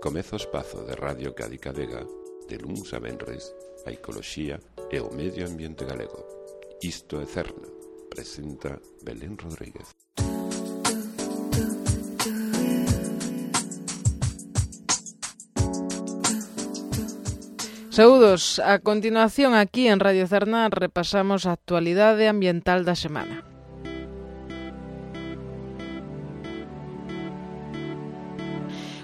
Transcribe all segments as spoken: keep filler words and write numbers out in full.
Comeza o espazo de Radio Cádiz Vega, de luns a venres, a ecoloxía e o medio ambiente galego. Isto é Cerna, presenta Belén Rodríguez. Saúdos, a continuación aquí en Radio Cerna repasamos a actualidade ambiental da semana.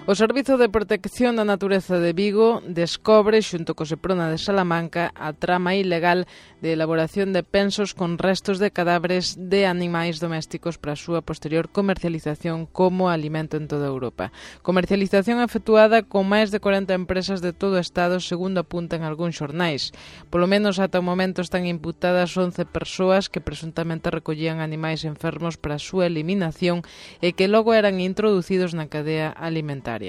O Servizo de Protección da Natureza de Vigo descobre, xunto co Seprona de Salamanca, a trama ilegal de elaboración de pensos con restos de cadáveres de animais domésticos para a súa posterior comercialización como alimento en toda Europa. Comercialización efectuada con máis de corenta empresas de todo o Estado, segundo apuntan algúns xornais. Polo menos ata o momento están imputadas once persoas que presuntamente recollían animais enfermos para a súa eliminación e que logo eran introducidos na cadea alimentaria.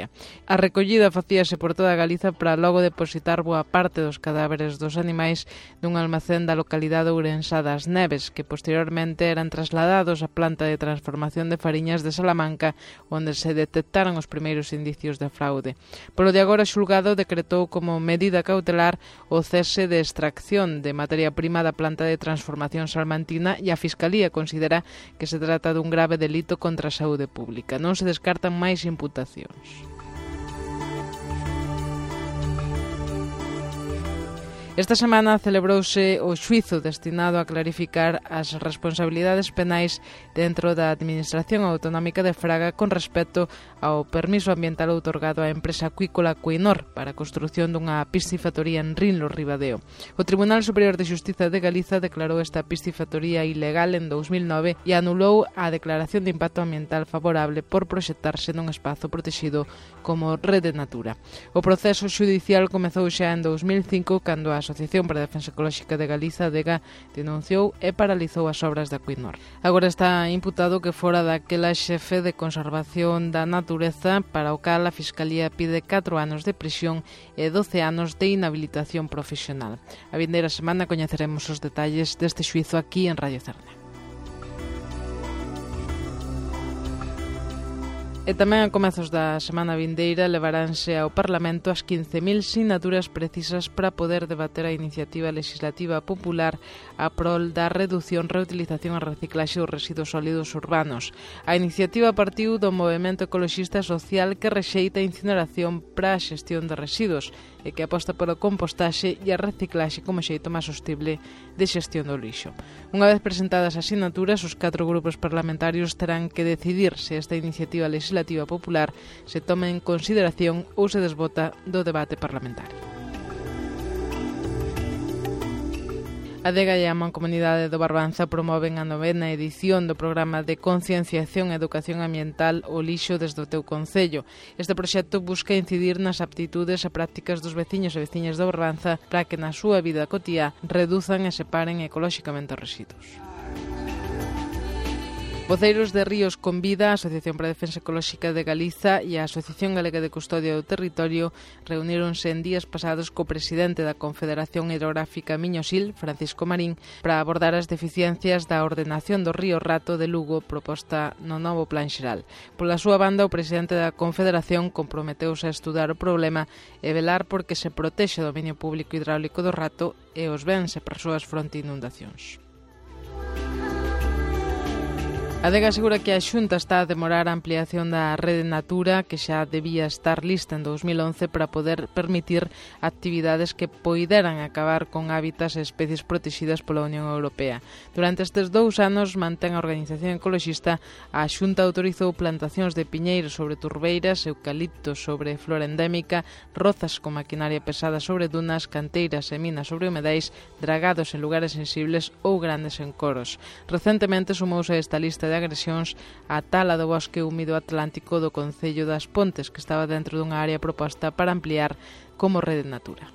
A recollida facíase por toda Galiza para logo depositar boa parte dos cadáveres dos animais nun almacén da localidade ourensá das Neves, que posteriormente eran trasladados á planta de transformación de fariñas de Salamanca, onde se detectaron os primeiros indicios de fraude. Polo de agora, o xulgado decretou como medida cautelar o cese de extracción de materia prima da planta de transformación salmantina e a Fiscalía considera que se trata dun grave delito contra a saúde pública. Non se descartan máis imputacións. Esta semana celebrouse o xuízo destinado a clarificar as responsabilidades penais dentro da Administración Autonómica de Fraga con respecto ao permiso ambiental outorgado á empresa acuícola Coinor para a construción dunha piscifactoría en Rinlo, Ribadeo. O Tribunal Superior de Xustiza de Galiza declarou esta piscifactoría ilegal en dous mil nove e anulou a declaración de impacto ambiental favorable por proxectarse nun espazo protegido como Rede Natura. O proceso xudicial comezou xa en dous mil cinco cando a Asociación para a Defensa Ecolóxica de Galiza, ADEGA, denunciou e paralizou as obras da Coinor. Agora está imputado que fora daquela xefe de conservación da natureza para o cal a Fiscalía pide catro anos de prisión e doce anos de inhabilitación profesional. A vindeira semana coñeceremos os detalles deste xuízo aquí en Radio Cerna. E tamén a comezos da semana vindeira levaránse ao Parlamento as quince mil sinaturas precisas para poder debater a iniciativa legislativa popular a prol da reducción, reutilización e reciclaxe dos residuos sólidos urbanos. A iniciativa partiu do movemento ecoloxista social que rexeita a incineración para a xestión de residuos e que aposta polo compostaxe e a reciclaxe como xeito máis sostible de xestión do lixo. Unha vez presentadas as sinaturas, os catro grupos parlamentarios terán que decidir se esta iniciativa legislativa popular se toma en consideración ou se desbota do debate parlamentario. A ADEGA e a Mancomunidade do Barbanza promoven a novena edición do programa de concienciación e educación ambiental O lixo desde o teu concello. Este proxecto busca incidir nas aptitudes e prácticas dos veciños e veciñas do Barbanza para que na súa vida cotiá reduzan e separen ecolóxicamente os residuos. Voceiros de Ríos Convida, a Asociación para a Defensa Ecolóxica de Galiza e a Asociación Galega de Custodia do Territorio reuníronse en días pasados co presidente da Confederación Hidrográfica Miño-Sil, Francisco Marín, para abordar as deficiencias da ordenación do río Rato de Lugo proposta no novo Plan Xeral. Pola súa banda, o presidente da Confederación comprometeuse a estudar o problema e velar porque se protexe o dominio público hidráulico do Rato e os bens e persoas fronte inundacións. A ADEGA asegura que a Xunta está a demorar a ampliación da Rede Natura, que xa debía estar lista en dous mil once para poder permitir actividades que poideran acabar con hábitats e especies protegidas pola Unión Europea. Durante estes dous anos, mantén a organización ecoloxista, a Xunta autorizou plantacións de piñeiros sobre turbeiras, eucaliptos sobre flora endémica, rozas con maquinaria pesada sobre dunas, canteiras e minas sobre humedais, dragados en lugares sensibles ou grandes encoros. Recentemente sumouse a esta lista de de agresións a tala do bosque húmido atlántico do Concello das Pontes, que estaba dentro dunha área proposta para ampliar como Rede Natura.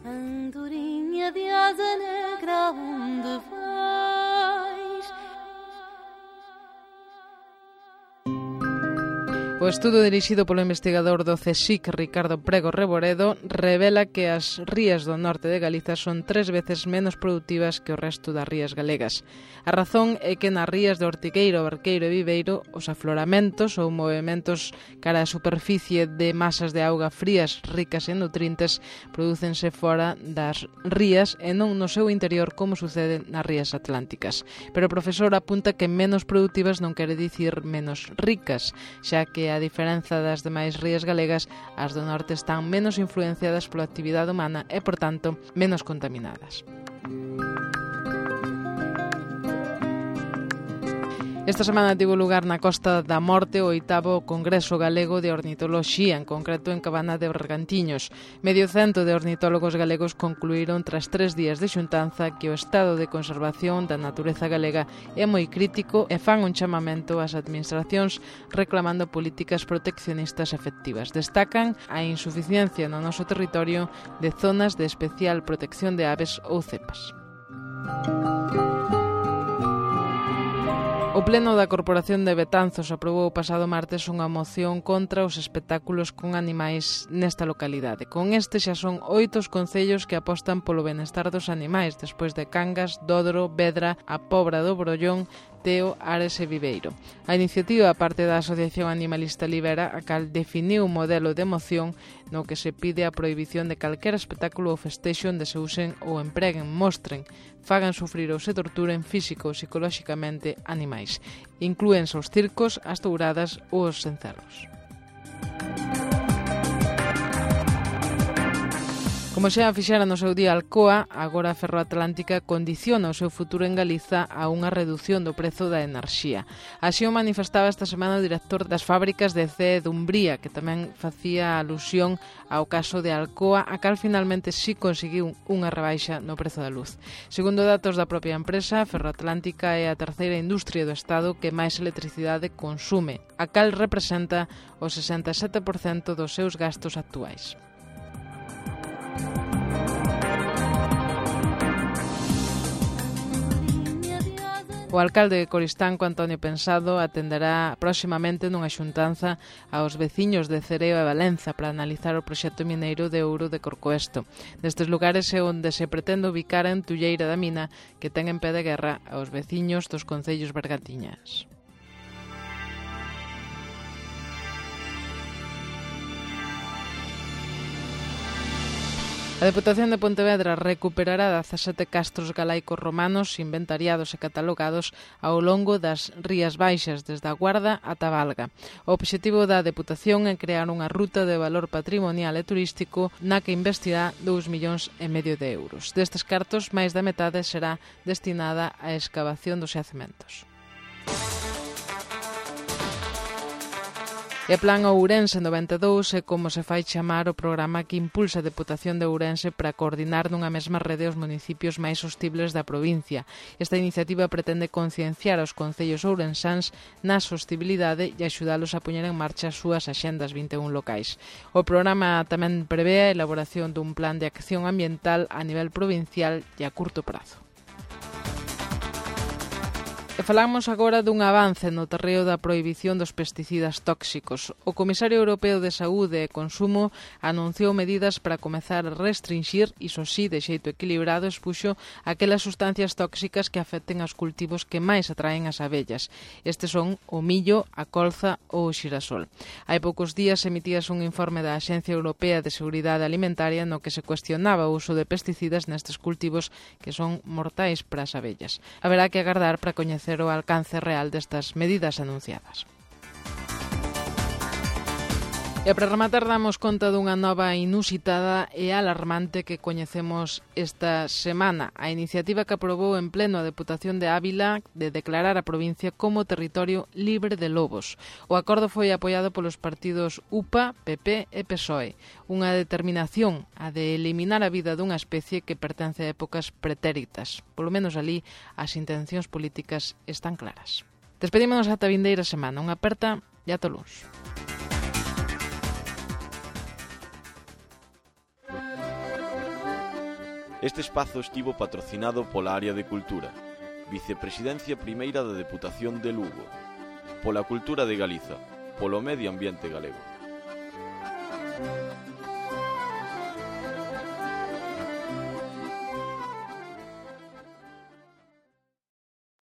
Andorinha de asa negra, onde vais? O estudo dirixido polo investigador do C S I C, Ricardo Prego Reboredo, revela que as rías do norte de Galiza son tres veces menos produtivas que o resto das rías galegas. A razón é que nas rías de Ortigueiro, Barqueiro e Viveiro os afloramentos ou movimentos cara á superficie de masas de auga frías ricas en nutrientes prodúcense fora das rías e non no seu interior como sucede nas rías atlánticas. Pero o profesor apunta que menos produtivas non quere dicir menos ricas, xa que a diferenza das demais rías galegas, as do norte están menos influenciadas pola actividade humana e, por tanto, menos contaminadas. Esta semana tivo lugar na Costa da Morte o oitavo Congreso Galego de Ornitoloxía, en concreto en Cabana de Bergantiños. Medio cento de ornitólogos galegos concluíron tras tres días de xuntanza que o estado de conservación da natureza galega é moi crítico e fan un chamamento ás administracións reclamando políticas proteccionistas efectivas. Destacan a insuficiencia no noso territorio de zonas de especial protección de aves ou cepas. O Pleno da Corporación de Betanzos aprobou o pasado martes unha moción contra os espectáculos con animais nesta localidade. Con este xa son oito os concellos que apostan polo benestar dos animais, despois de Cangas, Dodro, Vedra, a Pobra do Brollón, Teo, Ares e Viveiro. A iniciativa parte da Asociación Animalista Libera, a cal definiu un modelo de moción no que se pide a prohibición de calquera espectáculo ou festexo onde se usen ou empreguen, mostren, fagan sufrir ou se torturen físico ou psicolóxicamente animais. Inclúense os circos, as touradas ou os encerros. Como xa fixera no seu día Alcoa, agora a Ferroatlántica condiciona o seu futuro en Galiza a unha redución do prezo da enerxía. Así o manifestaba esta semana o director das fábricas de C E Dumbría, que tamén facía alusión ao caso de Alcoa, a cal finalmente sí conseguiu unha rebaixa no prezo da luz. Segundo datos da propia empresa, Ferroatlántica é a terceira industria do Estado que máis electricidade consume, a cal representa o sesenta e sete por cento dos seus gastos actuais. O alcalde de Coristanco, Antonio Pensado, atenderá próximamente nunha xuntanza aos veciños de Cereo e Valenza para analizar o proxecto mineiro de ouro de Corcoesto. Nestes lugares é onde se pretende ubicar a entulleira da mina que ten en pé de guerra aos veciños dos concellos bergantiñas. A Deputación de Pontevedra recuperará dezasete castros galaicos romanos inventariados e catalogados ao longo das Rías Baixas, desde a Guarda ata Valga. O obxectivo da Deputación é crear unha ruta de valor patrimonial e turístico na que investirá dous millóns e medio de euros. Destes cartos, máis da metade será destinada á escavación dos xacementos. E Plan Ourense noventa e dous é como se fai chamar o programa que impulsa a Deputación de Ourense para coordinar nunha mesma rede os municipios máis hostibles da provincia. Esta iniciativa pretende concienciar aos concellos ourensáns na sostibilidade e axudalos a poñer en marcha as súas axendas vinte e un locais. O programa tamén prevé a elaboración dun plan de acción ambiental a nivel provincial e a curto prazo. E falamos agora dun avance no terreo da prohibición dos pesticidas tóxicos. O Comisario Europeo de Saúde e Consumo anunciou medidas para comezar a restringir, iso sí, de xeito equilibrado, expuxo aquelas sustancias tóxicas que afecten aos cultivos que máis atraen as abellas. Estes son o millo, a colza ou o xirasol. Hai poucos días emitíase un informe da Axencia Europea de Seguridade Alimentaria no que se cuestionaba o uso de pesticidas nestes cultivos que son mortais para as abellas. Haberá que agardar para coñecer o alcance real destas medidas anunciadas. E para rematar damos conta dunha nova inusitada e alarmante que coñecemos esta semana. A iniciativa que aprobou en pleno a Deputación de Ávila de declarar a provincia como territorio libre de lobos. O acordo foi apoiado polos partidos U P A, P P e P S O E. Unha determinación a de eliminar a vida dunha especie que pertence a épocas pretéritas. Polo menos ali as intencións políticas están claras. Despedímonos ata a vindeira semana. Unha aperta e ata o luns. Este espazo estivo patrocinado pola Área de Cultura, Vicepresidencia Primeira da Deputación de Lugo, pola Cultura de Galiza, polo medio ambiente galego.